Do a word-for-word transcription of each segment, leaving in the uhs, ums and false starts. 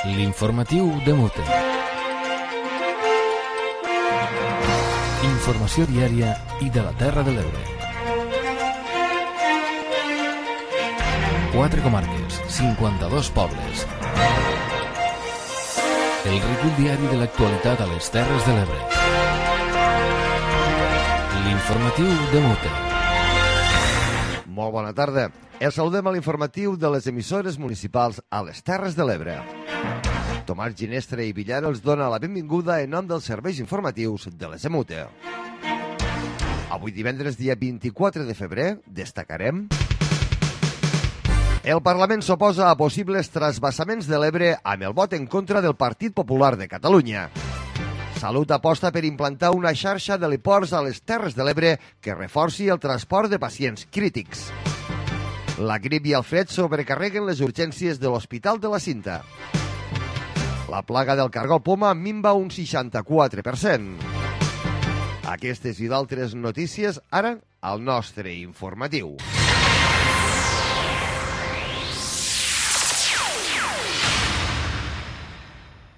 L'informatiu de Mute. Informació diària i de la Terra de l'Ebre. Quatre comarques, cinquanta-dos pobles. El recull diari de l'actualitat a les Terres de l'Ebre. L'informatiu de Mute. Molt bona tarda. Els saludem a l'informatiu de les emissores municipals a les Terres de l'Ebre. Tomàs Ginestre i Villar els dona la benvinguda en nom dels serveis informatius de les EMUTE. Avui divendres, dia vint-i-quatre de febrer, destacarem: el Parlament s'oposa a possibles trasvassaments de l'Ebre amb el vot en contra del Partit Popular de Catalunya. Salut aposta per implantar una xarxa d'heliports a les Terres de l'Ebre que reforci el transport de pacients crítics. La grip i el fred sobrecarreguen les urgències de l'Hospital de la Cinta. La plaga del cargol poma minva un seixanta-quatre per cent. Aquestes i d'altres notícies ara al nostre informatiu.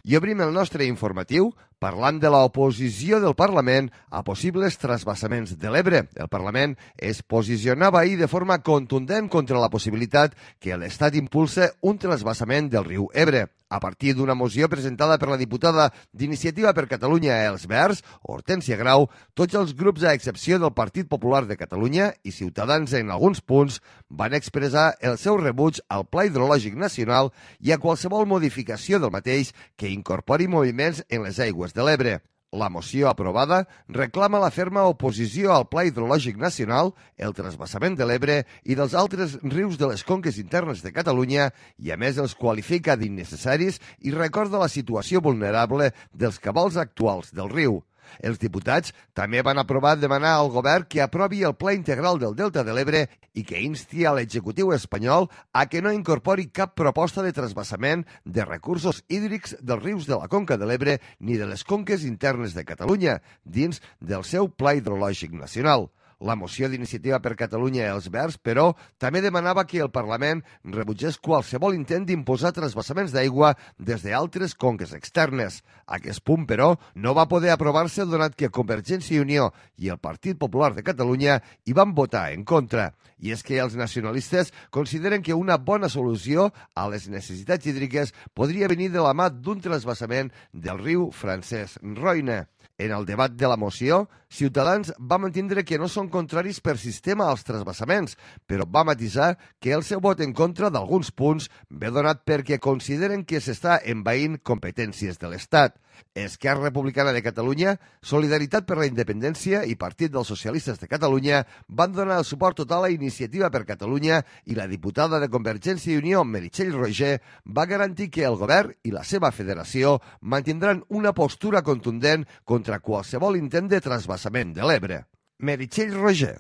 I obrim el nostre informatiu parlant de l'oposició del Parlament a possibles trasvassaments de l'Ebre. El Parlament es posicionava ahir de forma contundent contra la possibilitat que l'Estat impulse un trasvassament del riu Ebre. A partir d'una moció presentada per la diputada d'Iniciativa per Catalunya Els Verds, Hortènsia Grau, tots els grups, a excepció del Partit Popular de Catalunya i Ciutadans en alguns punts, van expressar el seu rebuig al Pla Hidrològic Nacional i a qualsevol modificació del mateix que incorpori moviments en les aigües de l'Ebre. La moció aprovada reclama la ferma oposició al Pla Hidrològic Nacional, el trasbassament de l'Ebre i dels altres rius de les conques internes de Catalunya i, a més, els qualifica d'innecessaris i recorda la situació vulnerable dels cabals actuals del riu. Els diputats també van aprovar demanar al govern que aprovi el Pla Integral del Delta de l'Ebre i que insti a l'executiu espanyol a que no incorpori cap proposta de trasbassament de recursos hídrics dels rius de la Conca de l'Ebre ni de les conques internes de Catalunya dins del seu Pla Hidrològic Nacional. La moció d'Iniciativa per Catalunya i Els Verds, però, també demanava que el Parlament rebutgés qualsevol intent d'imposar trasbassaments d'aigua des d'altres conques externes. Aquest punt, però, no va poder aprovar-se donat que Convergència i Unió i el Partit Popular de Catalunya hi van votar en contra. I és que els nacionalistes consideren que una bona solució a les necessitats hídriques podria venir de la mà d'un trasbassament del riu Francesc Roine. En el debat de la moció, Ciutadans va mantindre que no són contraris per sistema als trasbassaments, però va matisar que el seu vot en contra d'alguns punts ve donat perquè consideren que s'està envaint competències de l'Estat. Esquerra Republicana de Catalunya, Solidaritat per la Independència i Partit dels Socialistes de Catalunya van donar el suport total a Iniciativa per Catalunya i la diputada de Convergència i Unió, Meritxell Roigé, va garantir que el govern i la seva federació mantindran una postura contundent contra qualsevol intent de trasbassament de l'Ebre. Meritxell Roigé.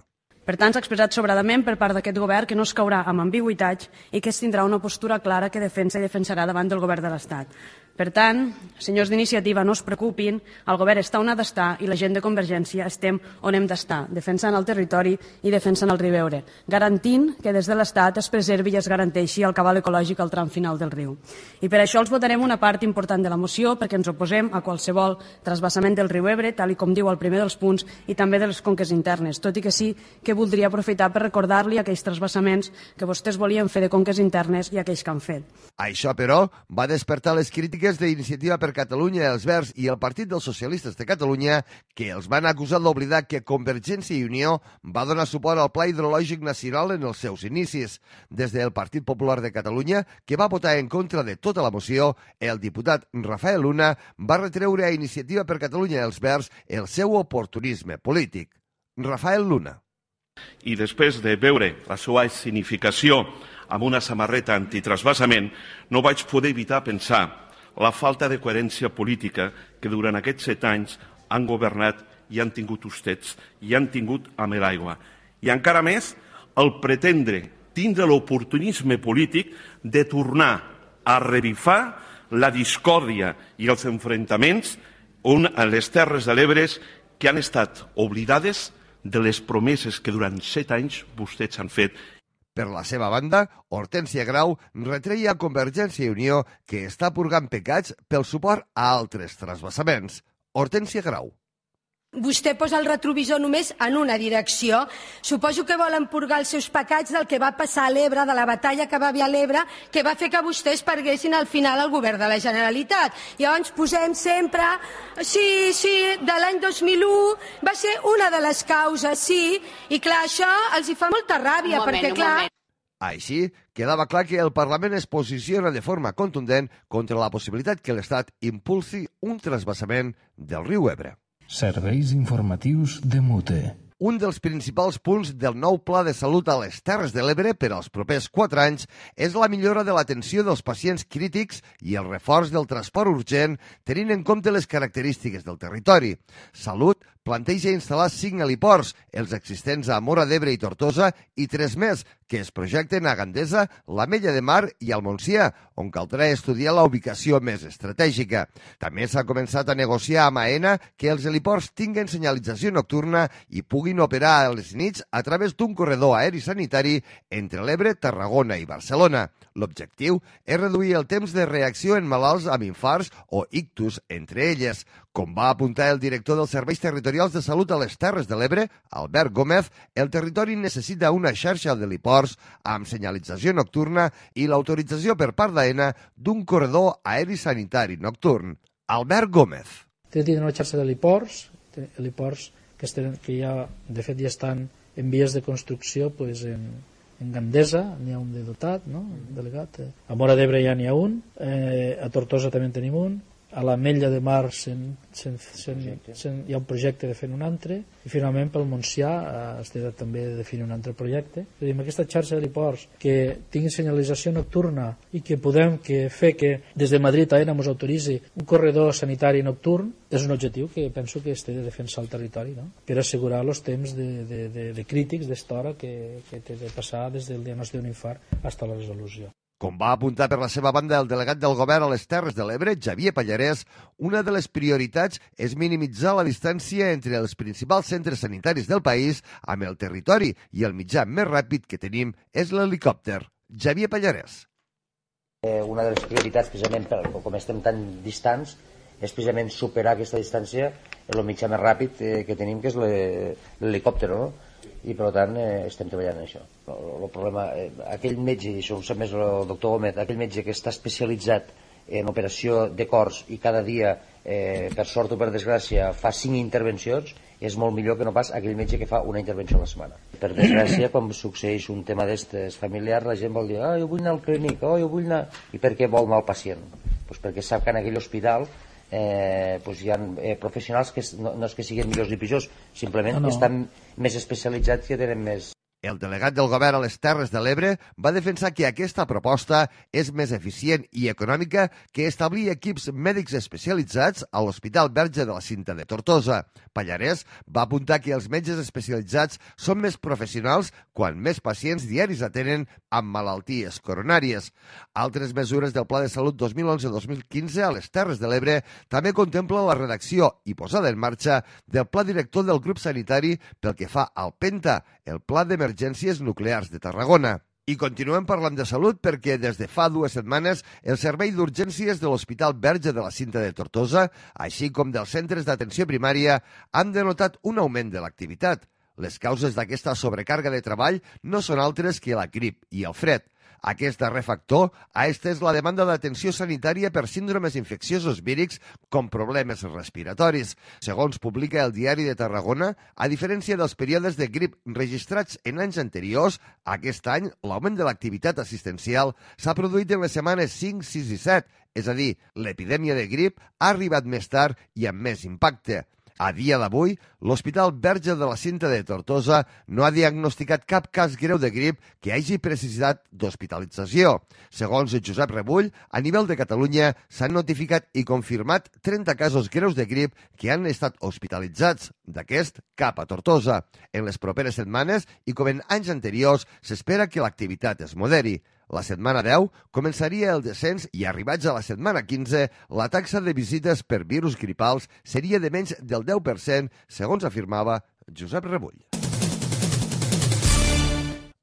Per tant, s'ha expressat sobradament per part d'aquest govern que no es caurà amb ambigüitats i que es tindrà una postura clara que defensa i defensarà davant del govern de l'Estat. Per tant, senyors d'Iniciativa, no es preocupin, el govern està on ha d'estar i la gent de Convergència estem on hem d'estar, defensant el territori i defensant el riu Ebre, garantint que des de l'Estat es preservi i es garanteixi el cabal ecològic al tram final del riu. I per això els votarem una part important de la moció, perquè ens oposem a qualsevol trasbassament del riu Ebre, tal com diu el primer dels punts, i també de les conques internes, tot i que sí que voldria aprofitar per recordar-li aquells trasbassaments que vostès volien fer de conques internes i aquells que han fet. Això, però, va despertar les crítiques d'Iniciativa per Catalunya, Els Verds i el Partit dels Socialistes de Catalunya, que els van acusar d'oblidar que Convergència i Unió va donar suport al Pla Hidrològic Nacional en els seus inicis. Des del Partit Popular de Catalunya, que va votar en contra de tota la moció, el diputat Rafael Luna va retreure a Iniciativa per Catalunya i Els Verds el seu oportunisme polític. Rafael Luna. I després de veure la seva escenificació amb una samarreta antitrasbassament, no vaig poder evitar pensar la falta de coherència política que durant aquests set anys han governat i han tingut vostès i han tingut amb l'aigua. I encara més, el pretendre tindre l'oportunisme polític de tornar a revifar la discòrdia i els enfrontaments a les Terres de l'Ebre que han estat oblidades de les promeses que durant set anys vostès han fet. Per la seva banda, Hortènsia Grau retreia a Convergència i Unió que està purgant pecats pel suport a altres transvasaments. Hortènsia Grau. Vostè posa el retrovisor només en una direcció. Suposo que volen purgar els seus pecats del que va passar a l'Ebre, de la batalla que va haver a l'Ebre, que va fer que vostès perguessin al final el govern de la Generalitat. I llavors posem sempre... Sí, sí, de l'any dos mil u va ser una de les causes, sí. I clar, això els hi fa molta ràbia, perquè clar... Així, quedava clar que el Parlament es posiciona de forma contundent contra la possibilitat que l'Estat impulsi un transvasament del riu Ebre. Serveis informatius de Mute. Un dels principals punts del nou Pla de Salut a les Terres de l'Ebre per als propers quatre anys és la millora de l'atenció dels pacients crítics i el reforç del transport urgent, tenint en compte les característiques del territori. Salut planteja instal·lar cinc heliports, els existents a Móra d'Ebre i Tortosa, i tres més, que es projecten a Gandesa, l'Ametlla de Mar i al Montsià, on caldrà estudiar la ubicació més estratègica. També s'ha començat a negociar amb AENA que els heliports tinguen senyalització nocturna i puguin operar a les nits a través d'un corredor aeri sanitari entre l'Ebre, Tarragona i Barcelona. L'objectiu és reduir el temps de reacció en malalts amb infarts o ictus entre elles. Com va apuntar el director dels Serveis Territorials de Salut a les Terres de l'Ebre, Albert Gómez, el territori necessita una xarxa d'heliports amb senyalització nocturna i l'autorització per part d'AENA d'un corredor aeri sanitari nocturn. Albert Gómez. Tenen una xarxa d'heliports, heliports que, estan, que ja, de fet, ja estan en vies de construcció pues, en, en Gandesa, n'hi ha un de dotat, no? Delegat. A Móra d'Ebre ja n'hi ha un, eh, a Tortosa també en tenim un, a l'Ametlla de Mar sen, sen, sen, sen, hi ha un projecte de fer un altre, i finalment pel Montsià eh, es té també de definir un altre projecte. És a dir, amb aquesta xarxa d'heliports que tingui senyalització nocturna i que podem que fer que des de Madrid a AENA ens autoritzi un corredor sanitari nocturn és un objectiu que penso que es té de defensar el territori, no? Per assegurar els temps de, de, de, de crítics d'esta hora que, que té de passar des del diagnòstic d'un infart fins a la resolució. Com va apuntar per la seva banda el delegat del govern a les Terres de l'Ebre, Xavier Pallarès, una de les prioritats és minimitzar la distància entre els principals centres sanitaris del país amb el territori i el mitjà més ràpid que tenim és l'helicòpter. Xavier Pallarès. Eh, una de les prioritats, precisament, per, com estem tan distants, és precisament superar aquesta distància el mitjà més ràpid eh, que tenim, que és l'helicòpter, no? I per tant eh, estem treballant en això. El, el problema, eh, aquell metge, i això ho sap més el doctor Gómez, aquell metge que està especialitzat en operació de cors i cada dia, eh, per sort o per desgràcia, fa cinc intervencions, és molt millor que no pas aquell metge que fa una intervenció a la setmana. Per desgràcia, quan succeeix un tema d'estes familiars, la gent vol dir, ah, jo vull anar al clínic, oh, jo vull anar... I per què vol anar al pacient? Pues perquè sap que en aquell hospital Eh, pues hi ha eh, professionals que no, no és que siguin millors ni pitjors, simplement no, no. estan més especialitzats i tenen més... El delegat del govern a les Terres de l'Ebre va defensar que aquesta proposta és més eficient i econòmica que establir equips mèdics especialitzats a l'Hospital Verge de la Cinta de Tortosa. Pallarès va apuntar que els metges especialitzats són més professionals quan més pacients diaris atenen amb malalties coronàries. Altres mesures del Pla de Salut dos mil onze dos mil quinze a les Terres de l'Ebre també contemplen la redacció i posada en marxa del Pla Director del Grup Sanitari pel que fa al PENTA, el Pla d'Emergències Nuclears de Tarragona. I continuem parlant de salut perquè des de fa dues setmanes el servei d'urgències de l'Hospital Verge de la Cinta de Tortosa, així com dels centres d'atenció primària, han denotat un augment de l'activitat. Les causes d'aquesta sobrecàrrega de treball no són altres que la grip i el fred. Aquest darrer factor ha estès la demanda d'atenció sanitària per síndromes infecciosos vírics com problemes respiratoris. Segons publica el Diari de Tarragona, a diferència dels períodes de grip registrats en anys anteriors, aquest any l'augment de l'activitat assistencial s'ha produït en les setmanes cinc, sis i set, és a dir, l'epidèmia de grip ha arribat més tard i amb més impacte. A dia d'avui, l'Hospital Verge de la Cinta de Tortosa no ha diagnosticat cap cas greu de grip que hagi necessitat d'hospitalització. Segons Josep Rebull, a nivell de Catalunya s'han notificat i confirmat trenta casos greus de grip que han estat hospitalitzats, d'aquest cap a Tortosa. En les properes setmanes, i com en anys anteriors, s'espera que l'activitat es moderi. La setmana deu començaria el descens i arribats a la setmana quinze, la taxa de visites per virus gripals seria de menys del deu per cent, segons afirmava Josep Rebull.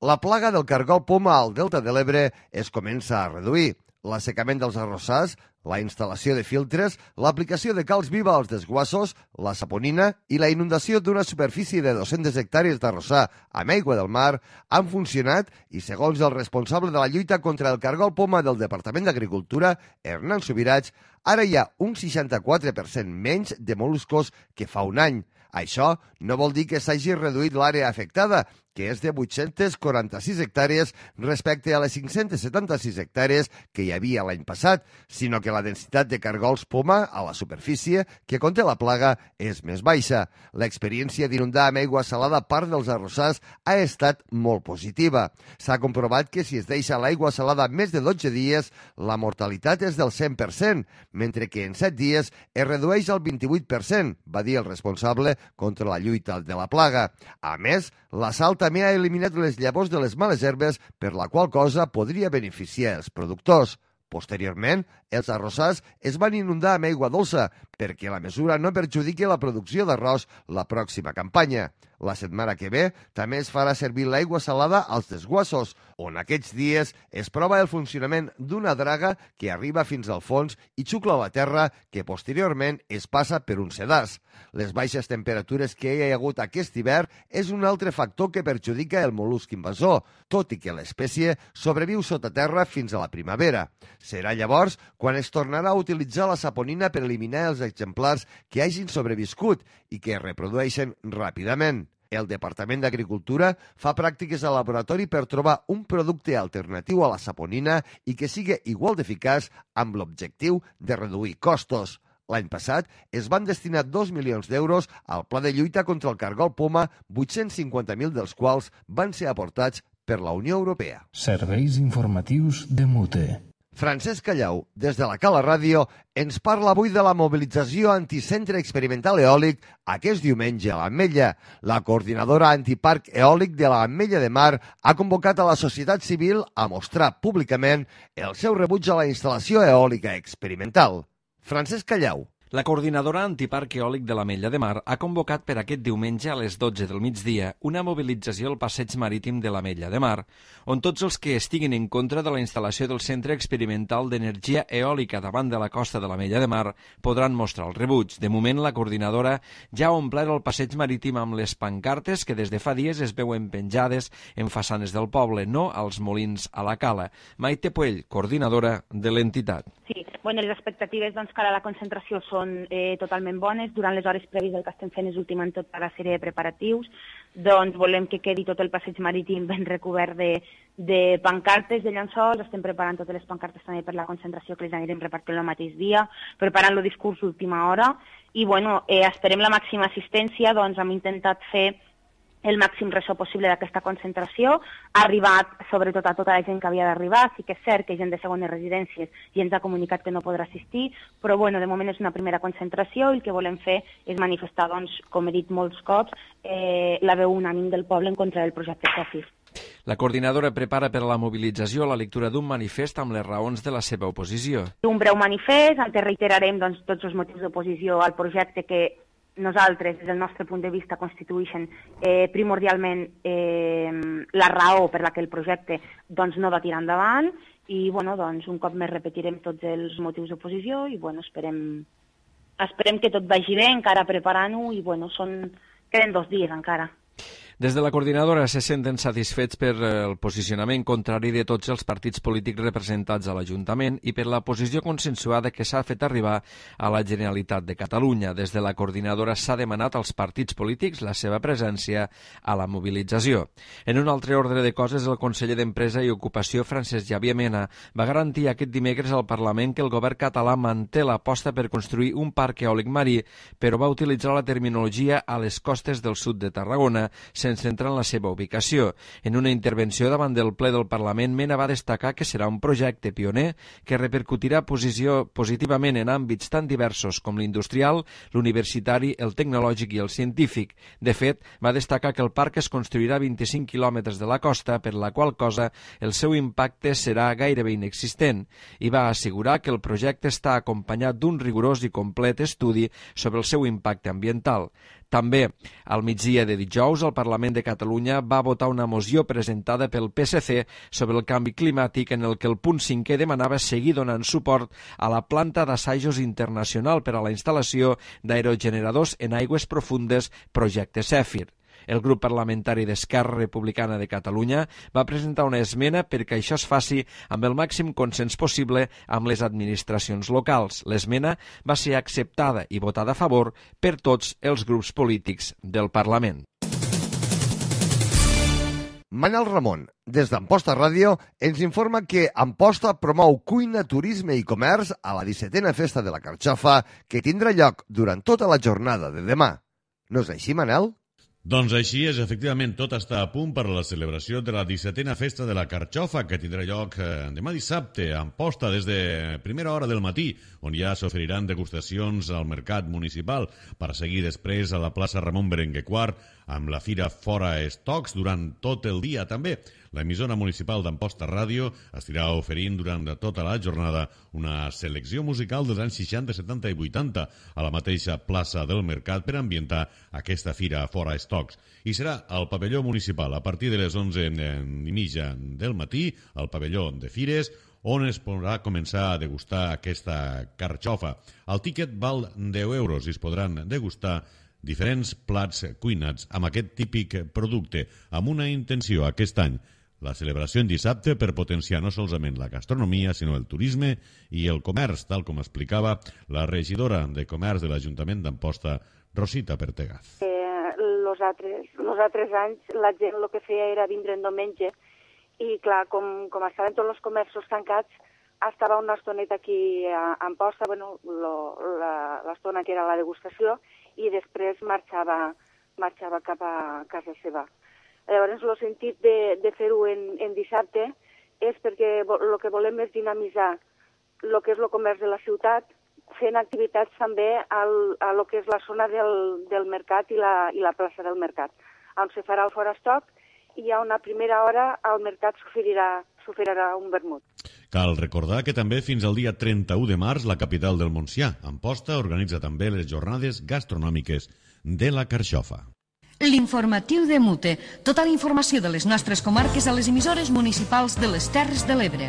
La plaga del cargol poma al Delta de l'Ebre es comença a reduir. L'assecament dels arrossars, la instal·lació de filtres, l'aplicació de calç viva als desguassos, la saponina i la inundació d'una superfície de dues-centes hectàrees d'arrossar amb aigua del mar han funcionat i, segons el responsable de la lluita contra el cargol poma del Departament d'Agricultura, Hernán Subirats, ara hi ha un seixanta-quatre per cent menys de mol·luscos que fa un any. Això no vol dir que s'hagi reduït l'àrea afectada, que és de vuit-centes quaranta-sis hectàrees respecte a les cinc-centes setanta-sis hectàrees que hi havia l'any passat, sinó que la densitat de cargols poma a la superfície que conté la plaga és més baixa. L'experiència d'inundar amb aigua salada part dels arrossars ha estat molt positiva. S'ha comprovat que si es deixa l'aigua salada més de dotze dies, la mortalitat és del cent per cent, mentre que en set dies es redueix al vint-i-vuit per cent, va dir el responsable contra la lluita de la plaga. A més, la sal també ha eliminat les llavors de les males herbes, per la qual cosa podria beneficiar els productors. Posteriorment, els arrossars es van inundar amb aigua dolça perquè la mesura no perjudiqui la producció d'arròs la pròxima campanya. La setmana que ve també es farà servir l'aigua salada als desguassos, on aquests dies es prova el funcionament d'una draga que arriba fins al fons i xucla la terra que posteriorment es passa per un sedàs. Les baixes temperatures que hi ha hagut aquest hivern és un altre factor que perjudica el mol·lusc invasor, tot i que l'espècie sobreviu sota terra fins a la primavera. Serà llavors quan es tornarà a utilitzar la saponina per eliminar els exemplars que hagin sobreviscut i que es reprodueixen ràpidament. El Departament d'Agricultura fa pràctiques al laboratori per trobar un producte alternatiu a la saponina i que sigui igual d'eficaç amb l'objectiu de reduir costos. L'any passat es van destinar dos milions d'euros al pla de lluita contra el cargol poma, vuit-cents cinquanta mil dels quals van ser aportats per la Unió Europea. Serveis informatius de Mute. Francesc Callau, des de la Cala Ràdio, ens parla avui de la mobilització anticentre experimental eòlic aquest diumenge a l'Ametlla. La coordinadora antiparc eòlic de l'Ametlla de Mar ha convocat a la societat civil a mostrar públicament el seu rebuig a la instal·lació eòlica experimental. Francesc Callau. La coordinadora antiparc eòlic de l'Ametlla de Mar ha convocat per aquest diumenge a les dotze del migdia una mobilització al passeig marítim de l'Ametlla de Mar, on tots els que estiguin en contra de la instal·lació del Centre Experimental d'Energia Eòlica davant de la costa de l'Ametlla de Mar podran mostrar el rebuig. De moment, la coordinadora ja ha omplert el passeig marítim amb les pancartes que des de fa dies es veuen penjades en façanes del poble, no als molins a la Cala. Maite Puell, coordinadora de l'entitat. Sí, bueno, les expectatives doncs, cara a la concentració són eh, totalment bones. Durant les hores prèvies el que estem fent és ultimant tota la sèrie de preparatius. Doncs volem que quedi tot el passeig marítim ben recobert de, de pancartes, de llençols. Estem preparant totes les pancartes també per la concentració que les anirem repartint el mateix dia, preparant el discurs d'última hora. I bueno, eh, esperem la màxima assistència, doncs hem intentat fer el màxim ressò possible d'aquesta concentració. Ha arribat, sobretot, a tota la gent que havia d'arribar. Sí que és cert que gent de segones residències i ens ha comunicat que no podrà assistir, però bueno, de moment és una primera concentració i el que volem fer és manifestar, doncs, com he dit molts cops, eh, la veu unànime del poble en contra del projecte SOFIR. La coordinadora prepara per a la mobilització la lectura d'un manifest amb les raons de la seva oposició. Un breu manifest en què reiterarem doncs, tots els motius d'oposició al projecte que nosaltres, des del nostre punt de vista, constitueixen eh, primordialment eh, la raó per la que el projecte doncs, no va tirar endavant i bueno, doncs, un cop més repetirem tots els motius d'oposició i bueno, esperem, esperem que tot vagi bé, encara preparant-ho i bueno, són, queden dos dies encara. Des de la coordinadora se senten satisfets per el posicionament contrari de tots els partits polítics representats a l'Ajuntament i per la posició consensuada que s'ha fet arribar a la Generalitat de Catalunya. Des de la coordinadora s'ha demanat als partits polítics la seva presència a la mobilització. En un altre ordre de coses, el conseller d'Empresa i Ocupació, Francesc Xavier Mena, va garantir aquest dimecres al Parlament que el govern català manté l'aposta per construir un parc eòlic marí, però va utilitzar la terminologia a les costes del sud de Tarragona, sense entrar en la seva ubicació. En una intervenció davant del ple del Parlament, Mena va destacar que serà un projecte pioner que repercutirà posició positivament en àmbits tan diversos com l'industrial, l'universitari, el tecnològic i el científic. De fet, va destacar que el parc es construirà a vint-i-cinc quilòmetres de la costa, per la qual cosa el seu impacte serà gairebé inexistent, i va assegurar que el projecte està acompanyat d'un rigorós i complet estudi sobre el seu impacte ambiental. També al migdia de dijous el Parlament de Catalunya va votar una moció presentada pel P S C sobre el canvi climàtic en el que el punt cinquè demanava seguir donant suport a la planta d'assajos internacional per a la instal·lació d'aerogeneradors en aigües profundes Projecte Zèfir. El grup parlamentari d'Esquerra Republicana de Catalunya va presentar una esmena perquè això es faci amb el màxim consens possible amb les administracions locals. L'esmena va ser acceptada i votada a favor per tots els grups polítics del Parlament. Manel Ramon, des d'Amposta Ràdio, ens informa que Amposta promou cuina, turisme i comerç a la dissetena Festa de la Carxofa que tindrà lloc durant tota la jornada de demà. No és així, Manel? Doncs així és, efectivament, tot està a punt per a la celebració de la dissetena Festa de la Carxofa, que tindrà lloc eh, demà dissabte a Amposta des de primera hora del matí, on ja s'oferiran degustacions al mercat municipal, per seguir després a la plaça Ramon Berenguer quart, amb la fira Fora Estocs durant tot el dia també. L'emissora municipal d'Amposta Ràdio estirà oferint durant tota la jornada una selecció musical dels anys seixanta, setanta i vuitanta a la mateixa plaça del Mercat per ambientar aquesta fira Fora Estocs. I serà al pavelló municipal a partir de les onze i mitja del matí, al pavelló de Fires, on es podrà començar a degustar aquesta carxofa. El tíquet val deu euros i es podran degustar diferents plats cuinats amb aquest típic producte, amb una intenció aquest any, la celebració en dissabte per potenciar no solament la gastronomia, sinó el turisme i el comerç, tal com explicava la regidora de Comerç de l'Ajuntament d'Amposta, Rosita Pertegaz. Eh, los, altres, los altres anys la gent el que feia era vindre en diumenge i, clar, com, com estaven tots els comerços tancats, estava una estoneta aquí a Amposta, bueno, l'estona que era la degustació, i després marxava, marxava cap a casa seva. Llavors, el sentit de, de fer-ho en, en dissabte és perquè el que volem és dinamitzar el que és el comerç de la ciutat, fent activitats també al, a lo que és la zona del, del mercat i la, i la plaça del mercat, on se farà el Fora Estoc i a una primera hora al mercat s'oferirà un vermut. Cal recordar que també fins al dia trenta-u de març la capital del Montsià, Amposta, organitza també les jornades gastronòmiques de la Carxofa. L'informatiu de Mute. Tota la informació de les nostres comarques a les emissores municipals de les Terres de l'Ebre.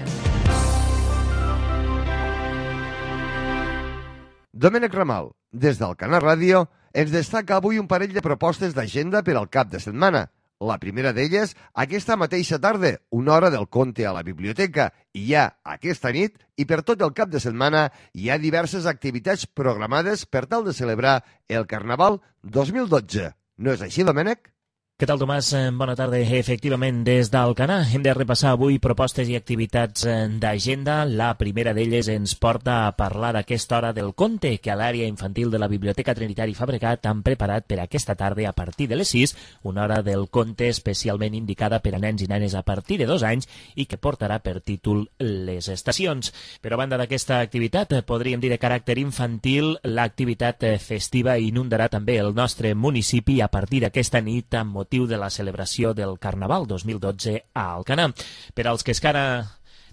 Domènec Ramal, des d'Alcanar Ràdio, ens destaca avui un parell de propostes d'agenda per al cap de setmana. La primera d'elles, aquesta mateixa tarda, una hora del conte a la biblioteca, i ja aquesta nit i per tot el cap de setmana hi ha diverses activitats programades per tal de celebrar el Carnaval dos mil dotze. No és així, Domènec? Què tal, Tomàs? Bona tarda. Efectivament, des d'Alcanar hem de repassar avui propostes i activitats d'agenda. La primera d'elles ens porta a parlar d'aquesta hora del conte que a l'àrea infantil de la Biblioteca Trinitari Fabregat han preparat per aquesta tarda a partir de les sis, una hora del conte especialment indicada per a nens i nenes a partir de dos anys i que portarà per títol Les Estacions. Però a banda d'aquesta activitat, podríem dir de caràcter infantil, l'activitat festiva inundarà també el nostre municipi a partir d'aquesta nit amb motiu de la celebració del Carnaval dos mil dotze a Alcanar. Per als que encara...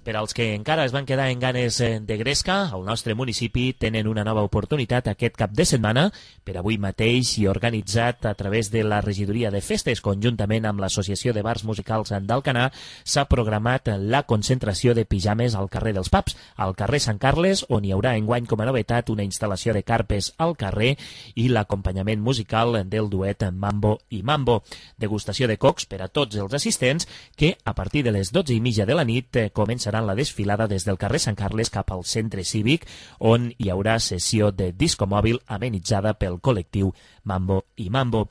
Per als que encara es van quedar en ganes de gresca, al nostre municipi tenen una nova oportunitat aquest cap de setmana, per avui mateix i organitzat a través de la Regidoria de Festes, conjuntament amb l'Associació de Bars Musicals d'Alcanar, s'ha programat la concentració de pijames al carrer dels Paps, al carrer Sant Carles, on hi haurà enguany com a novetat una instal·lació de carpes al carrer i l'acompanyament musical del duet Mambo i Mambo. Degustació de cocs per a tots els assistents que a partir de les dotze i mitja de la nit començarà la desfilada des del carrer Sant Carles cap al centre cívic, on hi haurà sessió de disco mòbil amenitzada pel col·lectiu Mambo i Mambo.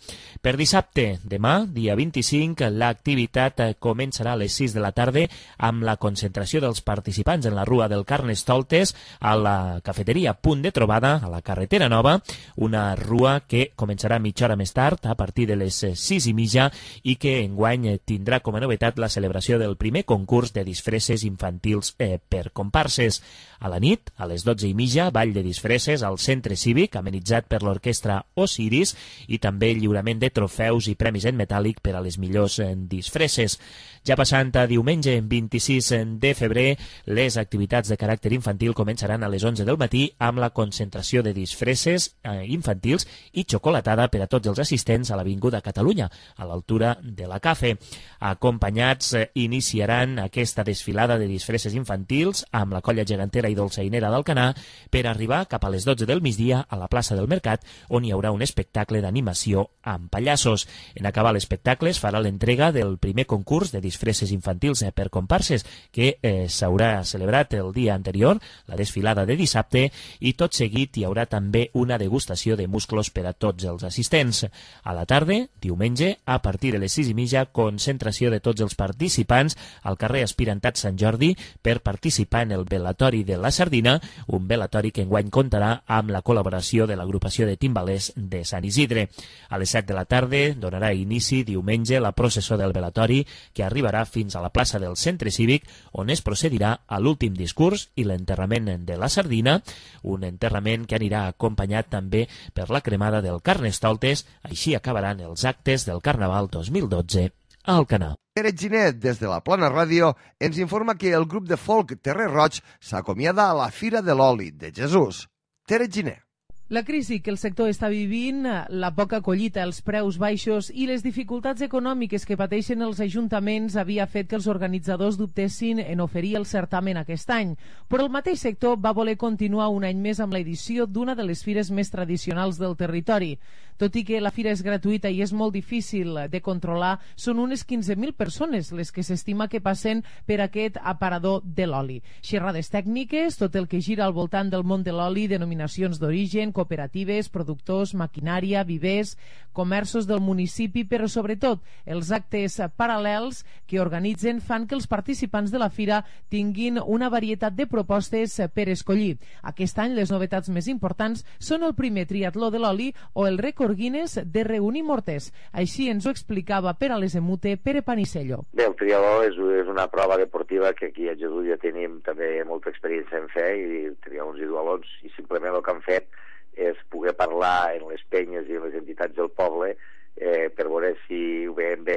Per dissabte, demà, dia vint-i-cinc, l'activitat començarà a les sis de la tarda amb la concentració dels participants en la Rua del Carnestoltes a la cafeteria Punt de Trobada, a la carretera Nova, una rua que començarà mitja hora més tard, a partir de les sis i mitja, i que enguany tindrà com a novetat la celebració del primer concurs de disfresses infantils infantils eh, per comparses. A la nit, a les dotze i mitja, ball de disfresses al Centre Cívic, amenitzat per l'orquestra Osiris, i també lliurament de trofeus i premis en metàl·lic per a les millors eh, disfresses. Ja passant a diumenge, vint-i-sis de febrer, les activitats de caràcter infantil començaran a les onze del matí amb la concentració de disfresses eh, infantils i xocolatada per a tots els assistents a l'Avinguda Catalunya, a l'altura de la Cafe. Acompanyats, eh, iniciaran aquesta desfilada de disfresses infantils amb la colla gegantera i dolçainera d'Alcanar per arribar cap a les dotze del migdia a la plaça del Mercat, on hi haurà un espectacle d'animació amb pallassos. En acabar l'espectacle es farà l'entrega del primer concurs de disfresses infantils eh, per comparses, que eh, s'haurà celebrat el dia anterior, la desfilada de dissabte, i tot seguit hi haurà també una degustació de musclos per a tots els assistents. A la tarda, diumenge, a partir de les sis i mitja, concentració de tots els participants al carrer Aspirantat Sant Jordi per participar en el velatori de la Sardina, un velatori que enguany comptarà amb la col·laboració de l'agrupació de timbalers de Sant Isidre. A les set de la tarda donarà inici diumenge la processó del velatori, que arribarà fins a la plaça del Centre Cívic, on es procedirà a l'últim discurs i l'enterrament de la Sardina, un enterrament que anirà acompanyat també per la cremada del Carnestoltes. Així acabaran els actes del Carnaval dos mil dotze a Alcanar. Pere Ginet, des de la Plana Ràdio, ens informa que el grup de folk Terrer Roig s'acomiada a la Fira de l'Oli de Jesús. Pere Ginet. La crisi que el sector està vivint, la poca collita, els preus baixos i les dificultats econòmiques que pateixen els ajuntaments havia fet que els organitzadors dubtessin en oferir el certamen aquest any. Però el mateix sector va voler continuar un any més amb l'edició d'una de les fires més tradicionals del territori. Tot i que la fira és gratuïta i és molt difícil de controlar, són unes quinze mil persones les que s'estima que passen per aquest aparador de l'oli. Xerrades tècniques, tot el que gira al voltant del món de l'oli, denominacions d'origen, cooperatives, productors, maquinària, vivers, comerços del municipi, però sobretot els actes paral·lels que organitzen fan que els participants de la fira tinguin una varietat de propostes per escollir. Aquest any les novetats més importants són el primer triatló de l'oli o el rècord Guinness de reunir morters. Així ens ho explicava per a les Emute Pere Panicello. Bé, el triatló és, és una prova deportiva que aquí a Jesús ja tenim també molta experiència en fer, i triatlons i dualons, i simplement el que han fet és poder parlar en les penyes i en les entitats del poble eh, per veure si ho veiem bé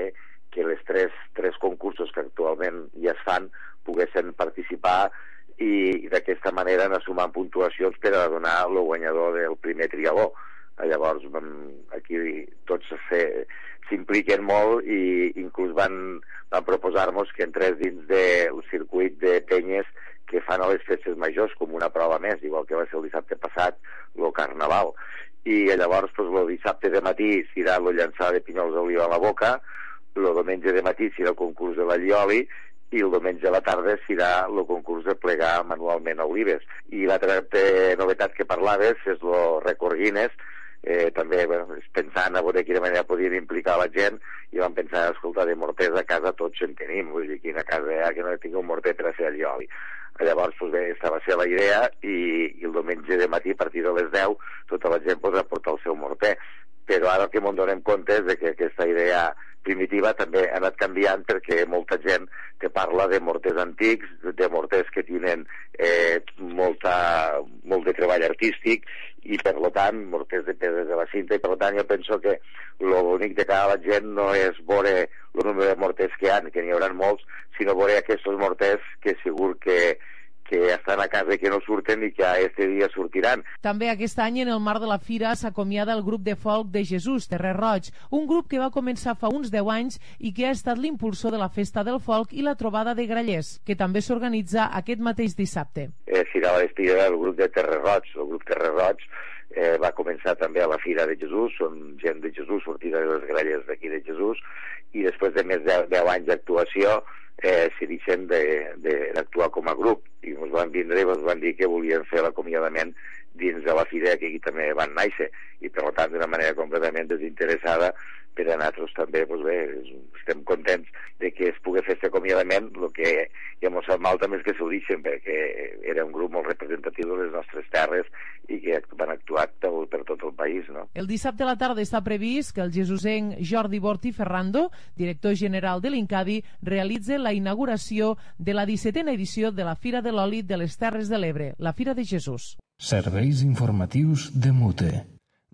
que les tres, tres concursos que actualment ja es fan poguessin participar i, i d'aquesta manera anar sumant puntuacions per a donar el guanyador del primer triatló. Llavors aquí tots s'impliquen molt i inclús van, van proposar-nos que entrés dins del circuit de penyes que fan a les festes majors com una prova més, igual que va ser el dissabte passat el Carnaval. I llavors pues, el dissabte de matí serà el llançar de pinyols d'oliva a la boca, el diumenge de matí serà el concurs de l'allioli i el diumenge a la tarda serà el concurs de plegar manualment olives. I l'altra novetat que parlaves és el rècord Guinness. Eh, també bueno, pensant a veure de quina manera podien implicar la gent, i vam pensar, escolta, de morters a casa tots en tenim, vull dir, quina casa hi ha que no tingui un morter per a fer el oli. Llavors, pues bé, aquesta va ser la idea, i, i el diumenge de matí, a partir de les deu, tota la gent pues, aporta el seu morter. Però ara el que ens donem compte és de que aquesta idea primitiva també ha anat canviant, perquè molta gent que parla de morters antics, de morters que tenen eh, molta, molt de treball artístic, i per tant morters de pedres de la cinta, i per tant jo penso que l'únic de cada la gent no és veure el número de morters que hi ha, que n'hi haurà molts, sinó veure aquests morters que segur que que estan a casa i que no surten i que este dia sortiran. També aquest any, en el marc de la fira, s'acomiada el grup de folk de Jesús, Terrer Roig, un grup que va començar fa uns deu anys i que ha estat l'impulsor de la Festa del Folk i la Trobada de Grallers, que també s'organitza aquest mateix dissabte. Eh, serà la despedida del grup de Terrer Roig. El grup Terrer Roig eh, va començar també a la Fira de Jesús, són gent de Jesús, sortida de les Grallers d'aquí de Jesús, i després de més de deu anys d'actuació eh, s'hi deixen d'actuar com a grup, i ens van vindre i ens van dir que volien fer l'acomiadament dins de la fira que aquí també van néixer, i per tant d'una manera completament desinteressada per a nosaltres també, doncs bé, estem contents de que es pugui fer aquest acomiadament. El que ja ens sap mal també és que s'ho deixen, perquè era un grup molt representatiu de les nostres terres i que van actuar per tot el país, no? no? El dissabte a la tarda està previst que el jesusenc Jordi Borti Ferrando, director general de l'Incadi, realitzi la inauguració de la dissetena edició de la Fira de l'Oli de les Terres de l'Ebre, la Fira de Jesús. Serveis informatius de Mute.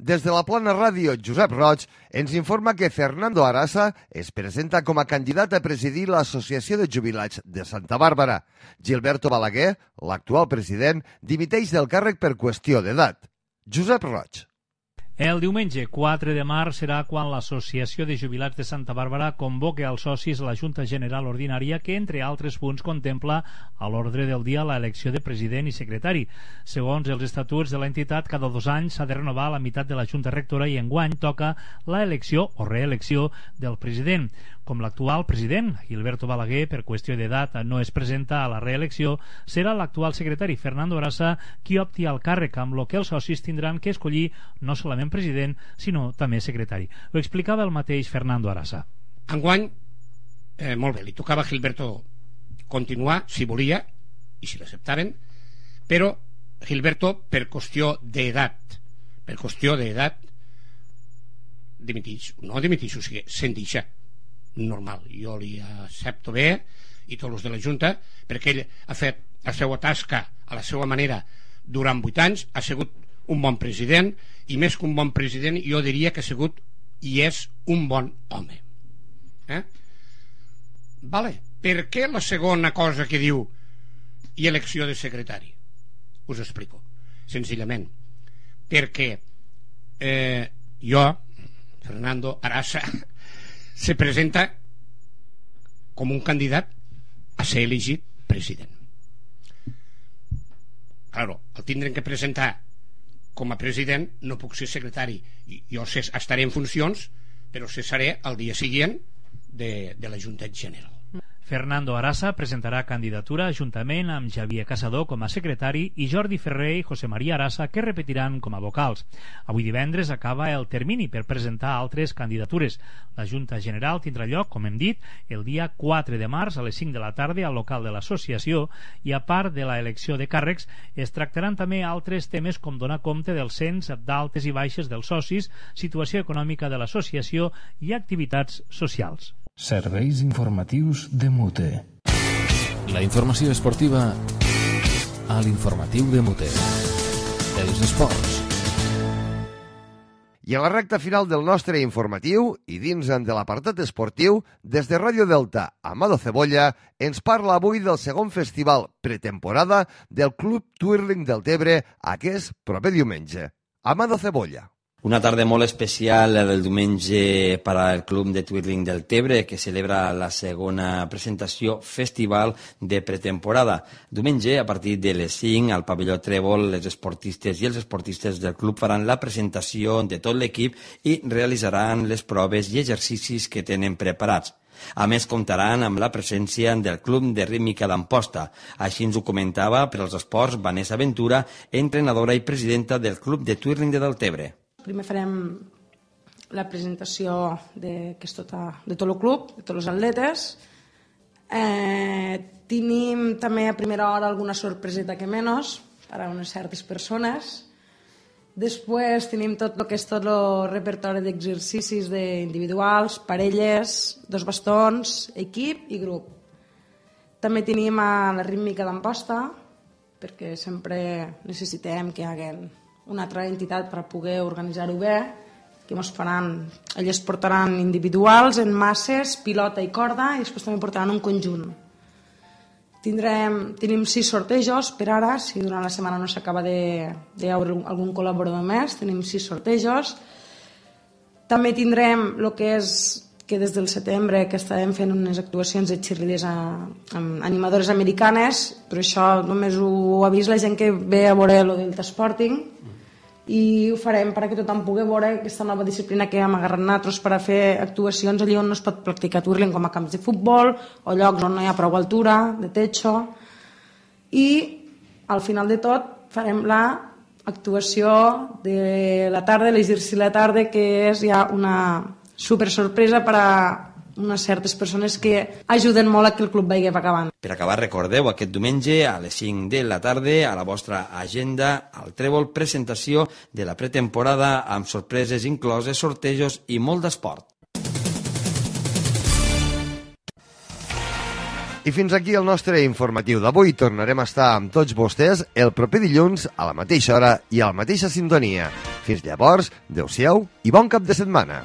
Des de la Plana Ràdio, Josep Roig ens informa que Fernando Arasa es presenta com a candidat a presidir l'Associació de Jubilats de Santa Bàrbara. Gilberto Balaguer, l'actual president, dimiteix del càrrec per qüestió d'edat. Josep Roig. El diumenge quatre de març serà quan l'Associació de Jubilats de Santa Bàrbara convoca als socis la Junta General Ordinària que, entre altres punts, contempla a l'ordre del dia l'elecció de president i secretari. Segons els estatuts de l'entitat, cada dos anys s'ha de renovar la meitat de la Junta Rectora i enguany toca la elecció o reelecció del president. Com l'actual president, Gilberto Balaguer, per qüestió d'edat, no es presenta a la reelecció, serà l'actual secretari, Fernando Arasa, qui opti al càrrec, amb lo que els socis tindran que escollir no solament president, sinó també secretari. Ho explicava el mateix Fernando Arasa. Enguany, eh, molt bé, li tocava a Gilberto continuar, si volia, i si l'acceptaven, però Gilberto, per qüestió d'edat, per qüestió d'edat, dimitix, no dimitix, o sigui, se'n deixa. Normal, jo li accepto bé i tots els de la Junta perquè ell ha fet la seva tasca a la seva manera durant vuit anys, ha sigut un bon president i més que un bon president jo diria que ha sigut i és un bon home. Eh? Vale. Per què la segona cosa que diu i elecció de secretari? Us explico senzillament perquè eh, jo, Fernando Arasa, se presenta com un candidat a ser elegit president. Claro, el tindrem que presentar com a president, no puc ser secretari. Jo estaré en funcions, però cessaré el dia següent de, de la Junta General. Fernando Arasa presentarà candidatura juntament amb Xavier Casador com a secretari i Jordi Ferrer i José María Arasa, que repetiran com a vocals. Avui divendres acaba el termini per presentar altres candidatures. La Junta General tindrà lloc, com hem dit, el dia quatre de març a les cinc de la tarda al local de l'associació i, a part de la elecció de càrrecs, es tractaran també altres temes com donar compte del cens d'altes i baixes dels socis, situació econòmica de l'associació i activitats socials. Serveis informatius de Mute. La informació esportiva a l'informatiu de Mute. Els esports. I a la recta final del nostre informatiu, i dins de l'apartat esportiu, des de Ràdio Delta, Amado Cebolla ens parla avui del segon festival pretemporada del Club Twirling del Tebre aquest proper diumenge. Amado Cebolla. Una tarda molt especial del diumenge per al Club de Twirling del Tebre, que celebra la segona presentació festival de pretemporada. Diumenge, a partir de les cinc, al pavelló Trèvol, les esportistes i els esportistes del club faran la presentació de tot l'equip i realitzaran les proves i exercicis que tenen preparats. A més, comptaran amb la presència del Club de Rítmica d'Amposta. Així ens ho comentava per als esports Vanessa Ventura, entrenadora i presidenta del Club de Twirling de Deltebre. Primer farem la presentació de, que és tota, de tot el club, de tots els atletes. Eh, tenim també a primera hora alguna sorpreseta que menys per a unes certes persones. Després tenim tot el que és tot el repertori d'exercicis individuals, parelles, dos bastons, equip i grup. També tenim a la rítmica d'Amposta, perquè sempre necessitem que hi hagi una altra entitat per poder organitzar-ho bé, que ens faran, elles portaran individuals en masses, pilota i corda, i després també portaran un conjunt. Tindrem, tenim sis sortejos per ara, si durant la setmana no s'acaba de, de veure algun col·laborador més, tenim sis sortejos. També tindrem el que és que des del setembre que estàvem fent unes actuacions de cheerleaders amb animadores americanes, però això només ho ha vist la gent que ve a veure el Delta Sporting, i ho farem perquè tothom pugui veure aquesta nova disciplina que hem agarrat nosaltres per a fer actuacions allà on no es pot practicar twirling, com a camps de futbol o llocs on no hi ha prou altura, de techo. I al final de tot farem la actuació de la tarda, l'exercici de la tarda, que és ja una super sorpresa per a unes certes persones que ajuden molt a que el club vagi acabant. Per acabar, recordeu aquest diumenge a les cinc de la tarda a la vostra agenda al Trèvol presentació de la pretemporada amb sorpreses incloses, sortejos i molt d'esport. I fins aquí el nostre informatiu d'avui. Tornarem a estar amb tots vostès el proper dilluns a la mateixa hora i a la mateixa sintonia. Fins llavors, adeu-siau i bon cap de setmana.